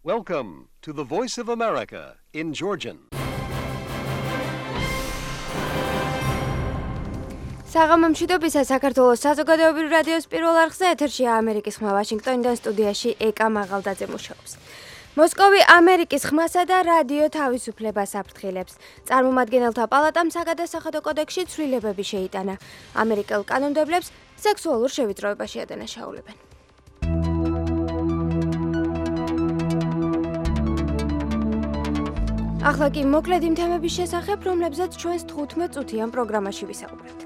Welcome to the Voice of America in Georgian. საღამომშვიდობისა საქართველოს საზოგადოებრივ რადიოს პირველ არხზე ეთერშია ამერიკის ხმა ვაშინგტონიდან სტუდიაში ეკა მაღალდაძე მუშაობს. მოსკოვი ამერიკის ხმასა და რადიო თავისუფლებას აფრთხილებს. წარმომადგენელთა პალატამ საგადასახადო კოდექსში ცვლილებები შეიტანა. ამერიკელ კანონმდებლებს სექსუალურ შევიწროებაში ადანაშაულებენ. ახლა კი მოკლედ იმ თემების შესახებ, რომლებზეც ჩვენს 15 წუთიან პროგრამაში ვისაუბრებთ.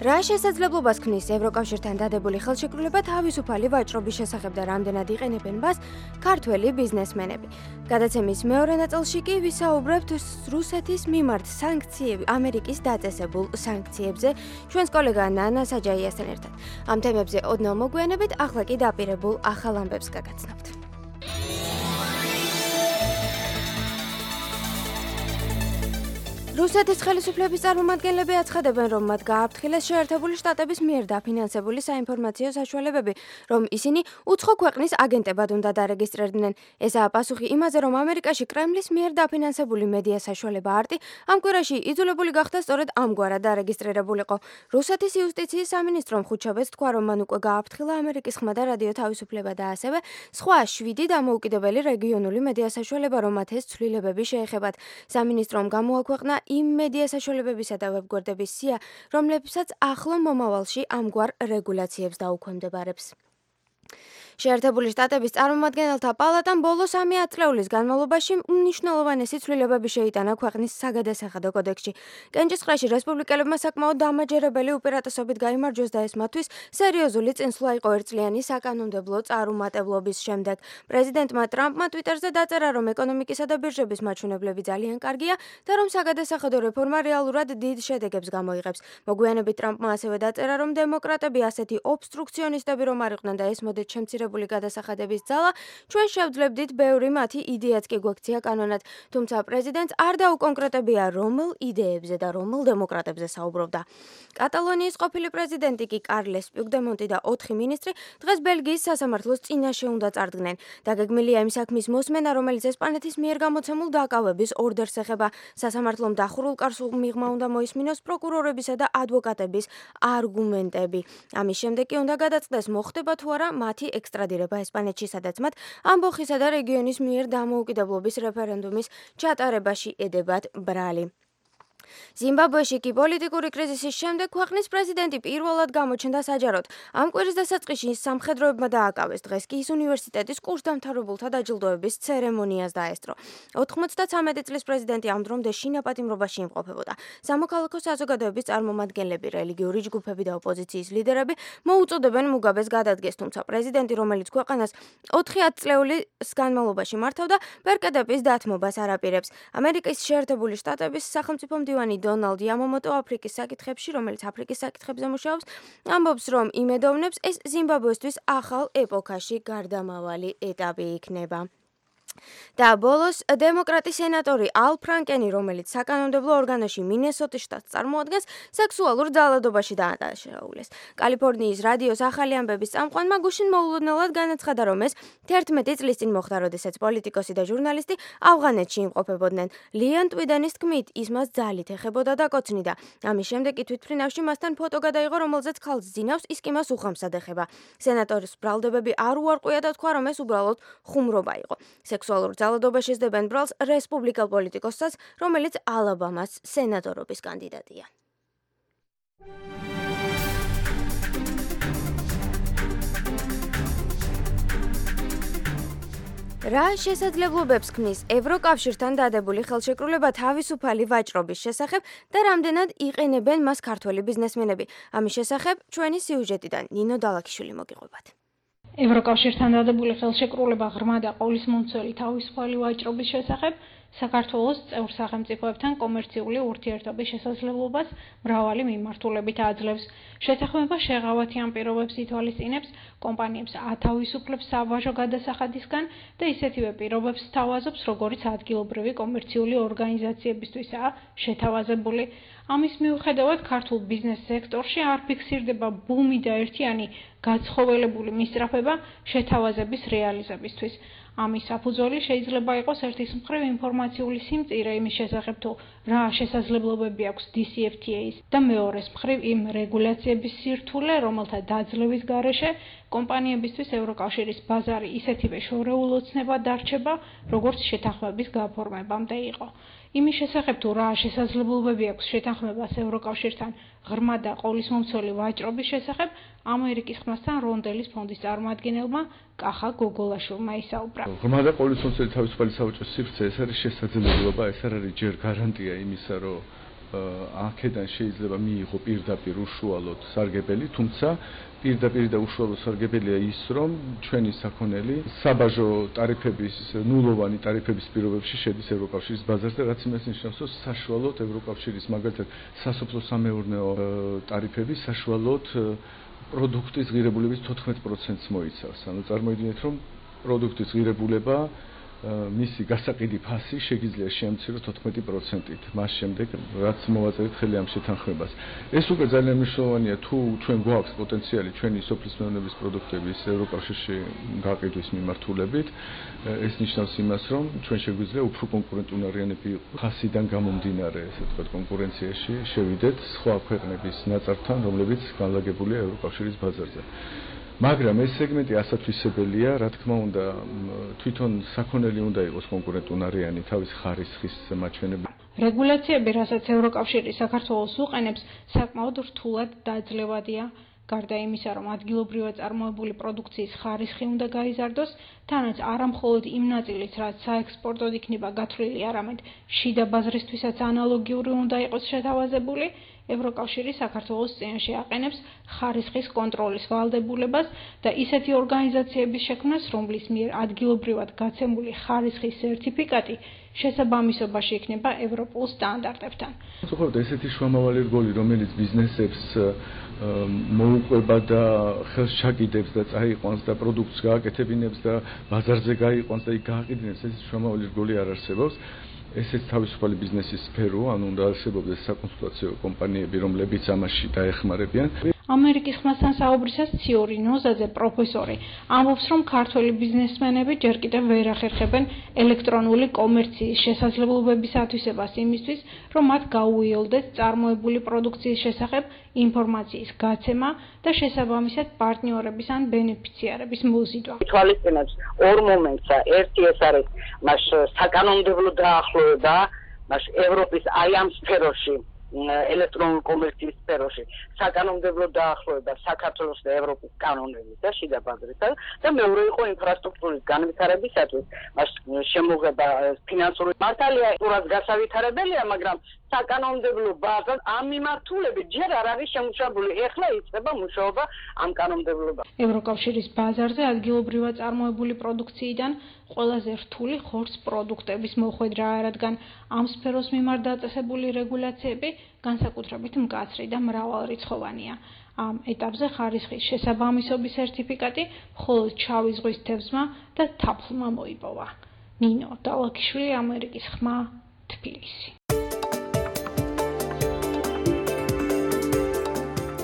რა შესაძლებლობას ქმნის ევროკავშირთან დადებული ხელშეკრულება თავისუფალი ვაჭრობის შესახებ და რამდენად იყენებენ მას ქართველი ბიზნესმენები. გადაცემის მეორე ნაწილში კი ვისაუბრებთ რუსეთის მიმართ ამერიკის დაწესებულ სანქციებზე ჩვენს კოლეგა ნანა საჯაიასთან ერთად. ამ თემებზე ოდნავ მოგვიანებით, ახლა კი დაპირებულ ახალ ამბებს გაგაცნობთ. რუსეთის ხელისუფლების წარმომადგენლები აცხადებენ, რომ მათ გააფრთხილეს შეერთებული შტატების მიერ დაფინანსებული საინფორმაციო საშუალებები, რომ ისინი უცხო ქვეყნის აგენტებად უნდა დარეგისტრირდნენ. ესაა პასუხი იმაზე, რომ ამერიკაში კრემლის მიერ დაფინანსებული მედია საშუალება არტი ამ კვირაში იძულებული გახდა სწორედ ამგვარად დარეგისტრირებულიყო. რუსეთის იუსტიციის სამინისტრომ ხუთშაბათს თქვა, რომ მან უკვე გააფრთხილა ამერიკის ხმა და რადიო თავისუფლება და ასევე სხვა 7 დამოუკიდებელი რეგიონული მედია საშუალება, რომ მათ ეს ცვლილებები შეეხებათ. სამინისტრომ გამოაქვეყნა იმ მედია საშუალებებისა და ვებგვერდების სია, რომლებსაც ახლო მომავალში ამგვარ რეგულაციებს დაუქვემდებარებს. შეერთებული შტატების წარმომადგენელთა პალატამ ბოლო 3 ათწლეულის განმავლობაში უმნიშვნელოვანესი ცვლილებები შეიტანა ქვეყნის საგადასახადო კოდექსში. კენჭისყრაში რესპუბლიკელებმა საკმაოდ დამაჯერებელი უპირატესობით გაიმარჯვეს და ეს მათთვის სერიოზული წინსვლა იყო ერთწლიანი საკანონმდებლო წარუმატებლობის შემდეგ. პრეზიდენტმა ტრამპმა ტვიტერზე დაწერა, რომ ეკონომიკისა და ბირჟების მაჩვენებლები ძალიან კარგია და რომ საგადასახადო რეფორმა რეალურად დიდ შედეგებს გამოიღებს. მოგვიანებით ტრამპმა ასევე დაწერა, რომ დემოკრატები ასეთი ობსტრუქციონისტები რომ არ იყვნენ და ეს მოდით შემცირებული გადასახადების ძალა, ჩვენ შევძლებდით ბევრი მათი იდეაც კი გვექცია კანონად, თუმცა პრეზიდენტს არ დაუკონკრეტებია რომელ იდეებზე და რომელ დემოკრატებზე საუბრობდა. კატალონიის ყოფილი პრეზიდენტი კი კარლეს პუიგდემონტი და 4 მინისტრი დღეს ბელგიის სასამართლოს წინაშე უნდა წარდგნენ. დაგეგმილია იმ საქმის მოსმენა, რომელიც ესპანეთის მიერ გამოცემულ დაკავების ორდერს ეხება. სასამართლომ დახურულ კარს მიღმა უნდა მოისმინოს პროკურორებისა და ადვოკატების არგუმენტები. ამის შემდეგ კი უნდა გადაწყდეს მოხდება თუ არა მათი ექსტრადირება ესპანეთში, სადაც მათ ამბოხისა და რეგიონის მიერ დამოუკიდებლობის რეფერენდუმის ჩატარებაში ედებათ ბრალი. ზიმბაბვეში კი პოლიტიკური კრიზისის შემდეგ ქვეყნის პრეზიდენტი პირველად გამოჩნდა საჯაროდ. ამ კვირის დასაწყისში სამხედროებმა დააკავეს. დღეს კი ის უნივერსიტეტის კურსდამთავრებულთა დაჯილდოების ცერემონიას დაესწრო. 93 წლის პრეზიდენტი ამ დრომდე შინაპატიმრობაში იმყოფებოდა. სამოქალაქო საზოგადოების წარმომადგენლები, რელიგიური ჯგუფები და ოპოზიციის ლიდერები მოუწოდებენ მუგაბეს გადადგეს, თუმცა პრეზიდენტი, რომელიც ქვეყანას 4 წლეულის განმავლობაში მართავდა, ბერკედების დათმობას არ აპირებს. ამერიკის შეერთებული შტატების სახელმწიფო მდივანი დონალდ იამამოტო აფრიკის საკითხებში, რომელიც აფრიკის საკითხებზე მუშაობს, ამბობს, რომ იმედოვნებს ეს ზიმბაბვესთვის ახალ ეპოქაში გარდამავალი ეტაპი იქნება. და ბოლოს დემოკრატი სენატორი ალ ფრანკენი, რომელიც საკანონმდებლო ორგანოში მინესოტის შტატს წარმოადგენს, სექსუალურ ძალადობაში დაადანაშაულეს. კალიფორნიის რადიოს ახალი ამბების წამყვანმა გუშინ მოულოდნელად განაცხადა, რომ ეს 11 წლის წინ მოხდა, როდესაც პოლიტიკოსი და ჟურნალისტი ავღანეთში იმყოფებოდნენ. ლიან ტვიდენის თქმით, ის მას ძალით ეხებოდა და კოცნიდა. ამის შემდეგ კი თვითმფრინავში მასთან ფოტო გადაიღო, რომელზეც ქალს ძინავს, ის კი მას უხამსად ეხება. სენატორის ბრალდებები არ უარყვია და თქვა, რომ ეს უბრალოდ ხუმრობა იყო. სექსუალურ ძალადობაში სდებენ ბრალს რესპუბლიკელ პოლიტიკოსსაც, რომელიც ალაბამას სენატორობის კანდიდატია. რა შესაძლებლობებს ქმნის ევროკავშირთან დადებული ხელშეკრულება თავისუფალი ვაჭრობის შესახებ და რამდენად იყენებენ მას ქართველი ბიზნესმენები? ამის შესახებ ჩვენი სიუჟეტიდან ნინო დალაქიშვილი მოგიყვებათ. ევროკავშირთან დადებული ხელშეკრულება ღრმა და ყოვლისმომცველი თავისუფალი ვაჭრობის შესახებ საქართველოს წევრ სახელმწიფოებთან კომერციული ურთიერთობის შესაძლებლობას მრავალი მიმართულებით აძლევს. შეთანხმება შეღავათიან პირობებს ითვალისწინებს, კომპანიებს ათავისუფლებს საბაჟო გადასახადისგან და ისეთივე პირობებს სთავაზობს, როგორც ადგილობრივი კომერციული ორგანიზაციებისთვისაა შეთავაზებული. ამის მიუხედავად ქართულ ბიზნეს სექტორში არ ფიქსირდება ბუმი და ერთიანი გაცხოველებული მისწრაფება შეთავაზების რეალიზებისთვის. ამის საფუძველი შეიძლება იყოს ერთის მხრივ ინფორმაციული სიმწირე იმის შესახებ თუ რა შესაძლებლობები აქვს DCFTA-ს და მეორეს მხრივ იმ რეგულაციების სირთულე, რომელთა დაძლევის გარეშე კომპანიებისთვის ევროკავშირის ბაზარი ისეთივე შორეულ ოცნებად დარჩება, როგორც შეთანხმების გაფორმებამდე იყო. იმის შესახებ თუ რა შესაძლებლობები აქვს შეთანხმებას ევროკავშირთან ღრმა და ყოვლისმომცველი ვაჭრობის შესახებ, ამერიკის ხმასთან რონდელის ფონდის წარმოადგენელმა კახა გოგოლაშვილმა ისაუბრა. ღრმა და ყოვლისმომცველი თავისუფალი სავაჭრო სივრცე ეს არის შესაძლებლობა, ეს არ არის ჯერ გარანტია იმისა, რომ აქედან შეიძლება მიიღო პირდაპირ უშუალოდ სარგებელი, თუმცა პირდაპირ და უშუალოდ სარგებელია ის, რომ ჩვენი საქონელი საბაჟო ტარიფების, ნულოვანი ტარიფების პირობებში შედის ევროკავშირის ბაზარზე, რაც იმას ნიშნავს, რომ საშუალოდ ევროკავშირის მაგალითად სასოფლო-სამეურნეო ტარიფები საშუალოდ პროდუქტის ღირებულების 14%-ს მოიცავს. ანუ წარმოიდგინეთ, რომ პროდუქტის ღირებულება მისი გასაყიდი ფასი შეგიძლია შეამციროს 14%-ით. მას შემდეგ, რაც მოვაწერეთ ხელი ამ შეთანხმებას. ეს უკვე ძალიან მნიშვნელოვანია, თუ ჩვენ გვაქვს პოტენციალი ჩვენი სოფლის მეურნეობის პროდუქტების ევროკავშირში გაყიდვის მიმართულებით. ეს ნიშნავს იმას, რომ ჩვენ შეგვიძლია უფრო კონკურენტუნარიანები ვიყოთ. ხასიდან გამომდინარე, ესე ვთქვათ, კონკურენციაში შევიდეთ სხვა ქვეყნების ნაწარმთან, რომლებიც განლაგებულია ევროკავშირის ბაზარზე. მაგრამ ეს სეგმენტი ასათვისებელია, რა თქმა უნდა, თვითონ საქონელი უნდა იყოს კონკურენტუნარიანი თავის ხარისხის მაჩვენებლით. რეგულაციები, რასაც ევროკავშირი საქართველოს უყენებს, საკმაოდ რთულად დაძლევადია. გარდა იმისა, რომ ადგილობრივად წარმოებული პროდუქციის ხარისხი უნდა გაიზარდოს, თანაც არა მხოლოდ იმ ნაწილით, რაც საექსპორტოდ იქნება გათვლილი, არამედ შიდა ბაზრისთვისაც ანალოგიური უნდა იყოს შეთავაზებული, ევროკავშირი საქართველოს წინაშე აყენებს ხარისხის კონტროლის ვალდებულებას და ისეთი ორგანიზაციების შექმნას, რომლის მიერ ადგილობრივად გაცემული ხარისხის სერტიფიკატი შესაბამისობაში იქნება ევროპულ სტანდარტებთან. სწორედ ესეთი შუამავალი რგოლი, რომელიც ბიზნესებს მოუყვება და ხელს ჩაკიდებს და წაიყვანს და პროდუქტს გააკეთებინებს და ბაზარზე გაიყვანს და იქ გააყიდინებს, ეს შუამავალი რგოლი არ არსებობს. ესეც თავისუფალი ბიზნესის სფეროა, ანუ უნდა არსებობდეს საკონსულტაციო კომპანიები, რომლებიც ამაში დაეხმარებიან. ამერიკის ხმასთან საუბრისას ციორი ნოზაძე პროფესორი ამბობს, რომ ქართველი ბიზნესმენები ჯერ კიდევ ვერ ახერხებენ ელექტრონული კომერციის შესაძლებლობების ათვისებას იმისთვის, რომ მათ გაუიოლდეთ წარმოებული პროდუქციის შესახებ ინფორმაციის გაცემა და შესაბამისად პარტნიორების ან ბენეფიციარების მოზიდვა. თვალისწინებს ორ მომენტს, ერთი ეს არის მას საკანონმდებლო დაახლოება, მას ევროპის აი ამ სფეროში ელექტრონული კომერციის სფეროში საკანონმდებლო დაახლოება საქართველოს და ევროპის კანონების და შიდა ბაზრისა და მეორე იყო ინფრასტრუქტურის განვითარებისათვის მას შემოღება ფინანსური მართალია ურას გასავითარებელია, მაგრამ საკანონმდებლო ბაზა ამ მიმართულებით ჯერ არ არის შემუშავებული. ეხლა იწყება მუშაობა ამ კანონმდებლობაზე. ევროკავშირის ბაზარზე ადგილობრივად წარმოებული პროდუქციიდან ყველაზე რთული ხორცს პროდუქტების მოხვედრა, რადგან ამ სფეროს მიმართ დაწესებული რეგულაციები განსაკუთრებით მკაცრი და მრავალრიცხოვანია. ამ ეტაპზე ხარისხის შესაბამისობის სერტიფიკატი მხოლოდ შავი ზღვის თევზმა და თაფლმა მოიპოვა. ნინო დალაქიშვილი, ამერიკის ხმა, თბილისი.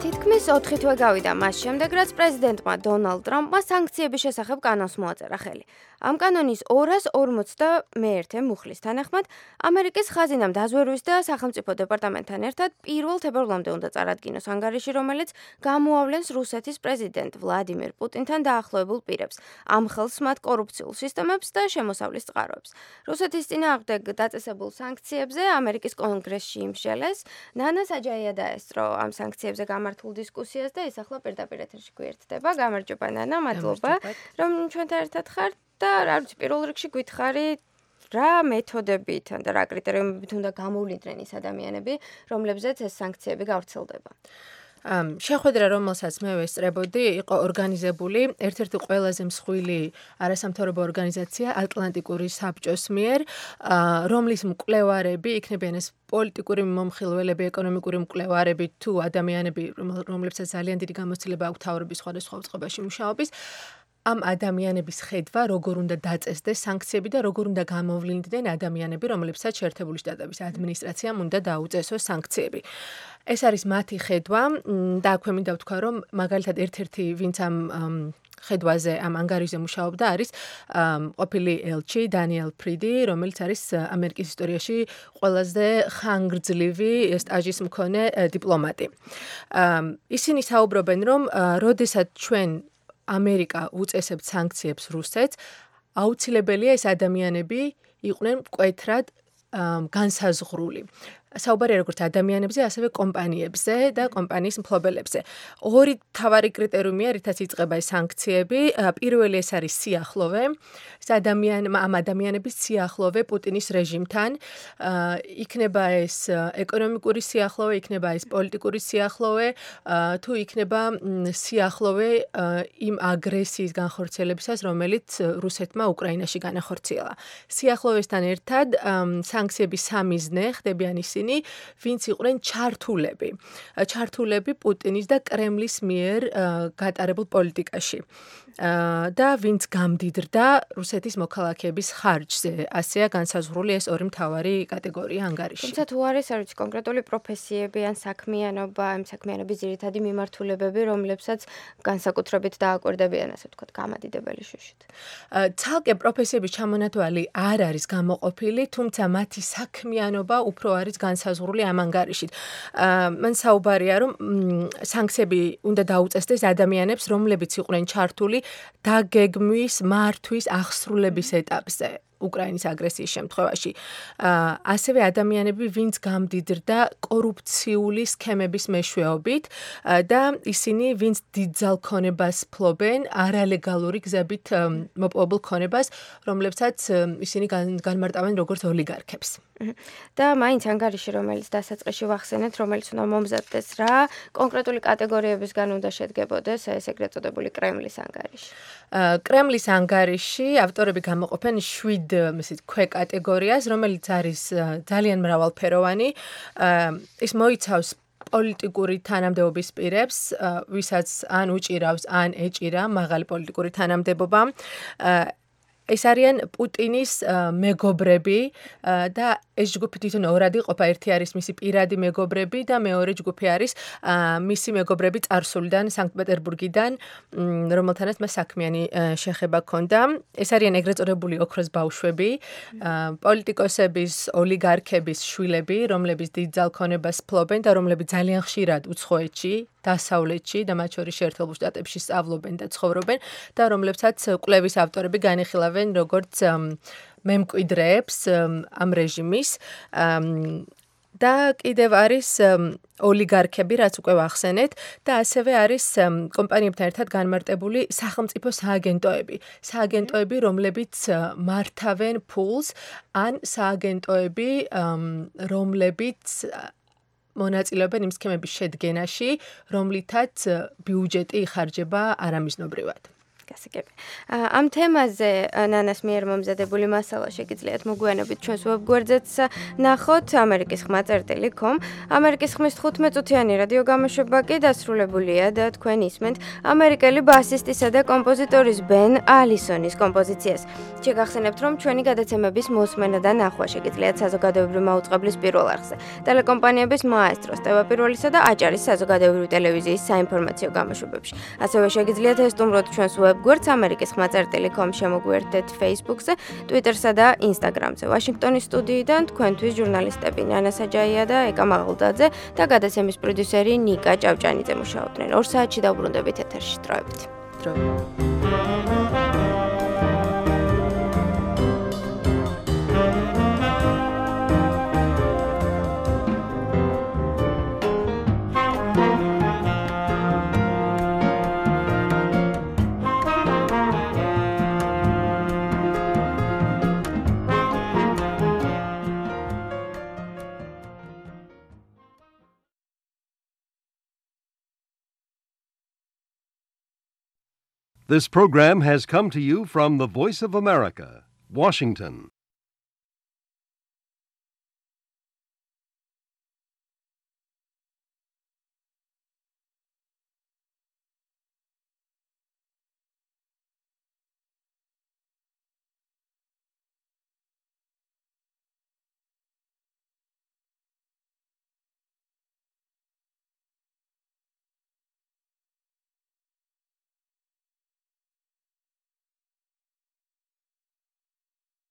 თითქმის 4 თვე გავიდა მას შემდეგ, რაც პრეზიდენტმა დონალდ ტრამპმა სანქციების შესახებ კანონს მოაწერა ხელი. ამ კანონის 251 მუხლის თანახმად, ამერიკის ხაზინამ დაზვერვის და სახელმწიფო დეპარტამენტთან ერთად 1 თებერვლამდე უნდა წარადგინოს ანგარიში, რომელიც გამოავლენს რუსეთის პრეზიდენტ ვლადიმირ პუტინთან დაახლოებულ პირებს, ამ ხელს მათ კორუფციულ სისტემებს და შემოსავლის წყაროებს. რუსეთის წინააღმდეგ დაწესებულ სანქციებზე ამერიკის კონგრესში იმსჯელეს, ნანა საჯაია დაესწრო ამ სანქციებზე გამართულ დისკუსიას და ის ახლა პირდაპირ ეთერში გვერდდება. გამარჯობა ნანა, მადლობა, რომ ჩვენთან ერთად ხართ. და რა ვიცი, პირველ რიგში გითხარი რა მეთოდებით და რა კრიტერიუმებით უნდა გამოვლინდნენ ის ადამიანები, რომლებზეც ეს სანქციები გავრცელდება. შეხვედრა, რომელსაც მე ვესწრებოდი, იყო ორგანიზებული ერთ-ერთი ყველაზე მსხვილი არასამთავრობო ორგანიზაცია ატლანტიკური საბჭოს მიერ, რომლის მკვლევარები იქნებიან ეს პოლიტიკური მომხილველები, ეკონომიკური მკვლევარები თუ ადამიანები, რომლებსაც ძალიან დიდი გამოცდილება აქვს თავრობის სხვადასხვა წყობაში მუშაობის. ამ ადამიანების ხედვა, როგორ უნდა დაწესდეს სანქციები და როგორ უნდა გამოვლინდნენ ადამიანები, რომლებსაც შეერთებული შტატების ადმინისტრაციამ უნდა დაუწესოს სანქციები. ეს არის მათი ხედვა და აქვე მინდა ვთქვა, რომ მაგალითად ერთ-ერთი ვინც ამ ხედვაზე ამ ანგარიშზე მუშაობდა არის ყოფილი ელჩი დანიელ ფრიდი, რომელიც არის ამერიკის ისტორიაში ყველაზე ხანგრძლივი სტაჟის მქონე დიპლომატი. ისინი საუბრობენ, რომ როდესაც ჩვენ ამერიკა უწესებთ სანქციებს რუსეთს, აუცილებელია ეს ადამიანები იყვნენ მკვეთრად განსაზღვრული. საუბარია როგორც ადამიანებზე, ასევე კომპანიებზე და კომპანიის მფლობელებზე. ორი მთავარი კრიტერიუმია, რითაც იწყება ეს სანქციები. პირველი ეს არის სიახლოვე. ამ ადამიანების სიახლოვე პუტინის რეჟიმთან. იქნება ეს ეკონომიკური სიახლოვე, იქნება ეს პოლიტიკური სიახლოვე, თუ იქნება სიახლოვე იმ აგრესიის განხორციელებისას, რომელიც რუსეთმა უკრაინაში განახორციელა. სიახლოვესთან ერთად სანქციების სამი ზნე ხდებიან ისინი, ვინც იყვნენ ჩართულები პუტინის და კრემლის მიერ გატარებულ პოლიტიკაში. და ვინც გამდიდრდა რუსეთის მოქალაქეების ხარჯზე. ასეა განსაზღვრული ეს ორი მთავარი კატეგორია ანგარიში. თუმცა თუ არის კონკრეტული პროფესიები ან საქმიანობა, ამ საქმიანობის ძირითადი მიმართულებები, რომლებსაც განსაკუთრებით დააკვირდებიან, ასე ვთქვათ, გამადიდებელი შუშით. ცალკე პროფესიების ჩამონათვალი არ არის გამოყოფილი, თუმცა მათი საქმიანობა უფრო არის განსაზღვრული ამ ანგარიშით. მან საუბარია, რომ სანქციები უნდა დაუწესდეს ადამიანებს, რომლებიც იყვნენ ჩართული დაგეგმვის, მართვის, აღსრულების ეტაპზე უკრაინის აგრესიის შემთხვევაში. ასევე ადამიანები, ვინც გამდიდრდა კორუფციული სქემების მეშვეობით და ისინი, ვინც დიდძალ ქონებას ფლობენ, არალეგალური გზებით მოპოვებულ ქონებას, რომლებსაც ისინი განმარტავენ როგორც ოლიგარქებს. და მაინც ანგარიში, რომელიც დასაწყისში ვახსენეთ, რომელიც უნდა მომზადდეს რა, კონკრეტული კატეგორიებისგან უნდა შედგებოდეს ეს ეგრეთ წოდებული კრემლის ანგარიში. კრემლის ანგარიში ავტორები გამოყოფენ 7 ქვეკატეგორიას, რომელიც არის ძალიან მრავალფეროვანი. ის მოიცავს პოლიტიკური თანამდებობის პირებს, ვისაც ან უჭირავს, ან ეჭირა მაღალი პოლიტიკური თანამდებობა. ეს არიან პუტინის მეგობრები და ეს ჯგუფი თვითონ ორად იყოფა. ერთი არის მისი პირადი მეგობრები და მეორე ჯგუფი არის მისი მეგობრები წარსულიდან, სანქტ-პეტერბურგიდან, რომელთანაც მას საქმიანი შეხება ჰქონდა. ეს არიან ეგრეთ წოდებული ოქროს ბავშვები, პოლიტიკოსების, ოლიგარქების შვილები, რომლებიც დიდძალ ქონებას ფლობენ და რომლებიც ძალიან ხშირად უცხოეთში, დასავლეთში და მათ შორის შეერთებულ შტატებში სწავლობენ და ცხოვრობენ და რომლებსაც კვლევის ავტორები განიხილავენ როგორც მემკვიდრეებს ამ რეჟიმის. და კიდევ არის ოლიგარქები, რაც უკვე ვახსენეთ, და ასევე არის კომპანიებთან ერთად განმარტებული სახელმწიფო სააგენტოები. სააგენტოები, რომლებიც მართავენ ფულს, ან სააგენტოები, რომლებიც მონაწილეობენ იმ სქემების შედგენაში, რომლითაც ბიუჯეტი იხარჯება არამიზნობრივად. გასაგები. ამ თემაზე ნანას მიერ მომზადებული მასალა შეგიძლიათ მოგვიანებით ჩვენს ვებგვერდზეც ნახოთ amerikis.com. ამერიკის ხმის 15 წუთიანი რადიო გამოშვება კი დასრულებულია და თქვენ ისმენთ ამერიკელი ბასისტისა და კომპოზიტორის ბენ ალისონის კომპოზიციას. შეგახსენებთ, რომ ჩვენი გადაცემების მოსმენა და ნახვა შეგიძლიათ საზოგადოებრივი მაუწყებლის პირველ არხზე, ტელეკომპანიების მაესტროს, ტელეპიროლისა და აჭარის საზოგადოებრივი ტელევიზიის საინფორმაციო გამოშვებებში. ასევე შეგიძლიათ ესტუმროთ ჩვენს ვებგვერდს amerikis.com შემოგვიერთდეთ Facebook-ზე, Twitter-სა და Instagram-ზე. ვაშინგტონის სტუდიიდან თქვენთვის ჟურნალისტები ნანა საჯაია და ეკა მაღლდაძე და გადაცემის პროდიუსერი ნიკა ჭავჭანიძე მუშაობდნენ. 2 საათში დავბრუნდებით ეთერში. დროებით. This program has come to you from the Voice of America, Washington.